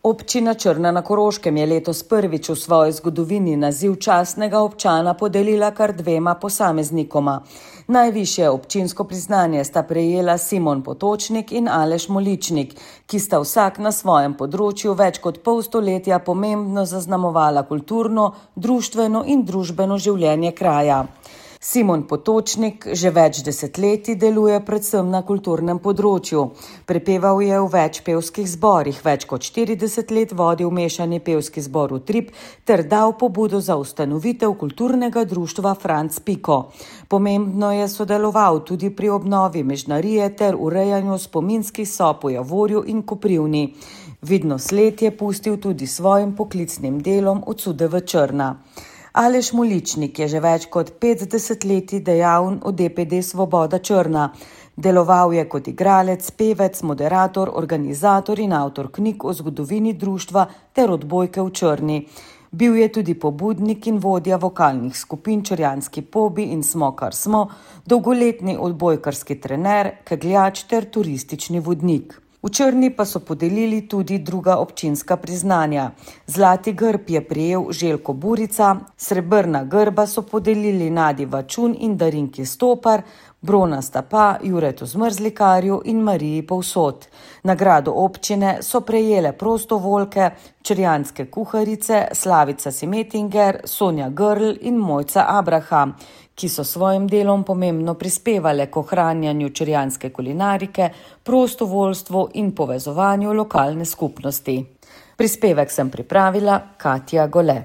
Občina Črna na Koroškem je letos prvič v svoji zgodovini naziv častnega občana podelila kar dvema posameznikoma. Najvišje občinsko priznanje sta prejela Simon Potočnik in Aleš Moličnik, ki sta vsak na svojem področju več kot pol stoletja pomembno zaznamovala kulturno, društveno in družbeno življenje kraja. Simon Potočnik že več desetletij deluje predvsem na kulturnem področju. Prepeval je v več pevskih zborih, več kot 40 let vodil mešani pevski zbor Utrip ter dal pobudo za ustanovitev kulturnega društva Franc Piko. Pomembno je sodeloval tudi pri obnovi Mežnarije ter urejanju spominskih sob v Javorju in Koprivni. Vidno sled je pustil tudi svojim poklicnim delom od Sudeve Črna. Aleš Moličnik je že več kot 50 let dejaven v DPD Svoboda Črna. Deloval je kot igralec, pevec, moderator, organizator in avtor knjig o zgodovini društva ter odbojke v Črni. Bil je tudi pobudnik in vodja vokalnih skupin Črjanski pobi in Smo, kar smo, dolgoletni odbojkarski trener, kegljač ter turistični vodnik. V Črni pa so podelili tudi druga občinska priznanja. Zlati grb je prejel Željko Burica, srebrna grba so podelili Nadi Vačun in Darinki Stopar, bronasta pa Juretu Zmrzlikarju in Mariji Povsod. Nagrado občine so prejele prostovoljke, črjanske kuharice Slavica Simetinger, Sonja Grl in Mojca Abraham, ki so svojim delom pomembno prispevale k ohranjanju črjanske kulinarike, prostovoljstvu in povezovanju lokalne skupnosti. Prispevek sem pripravila Katja Gole.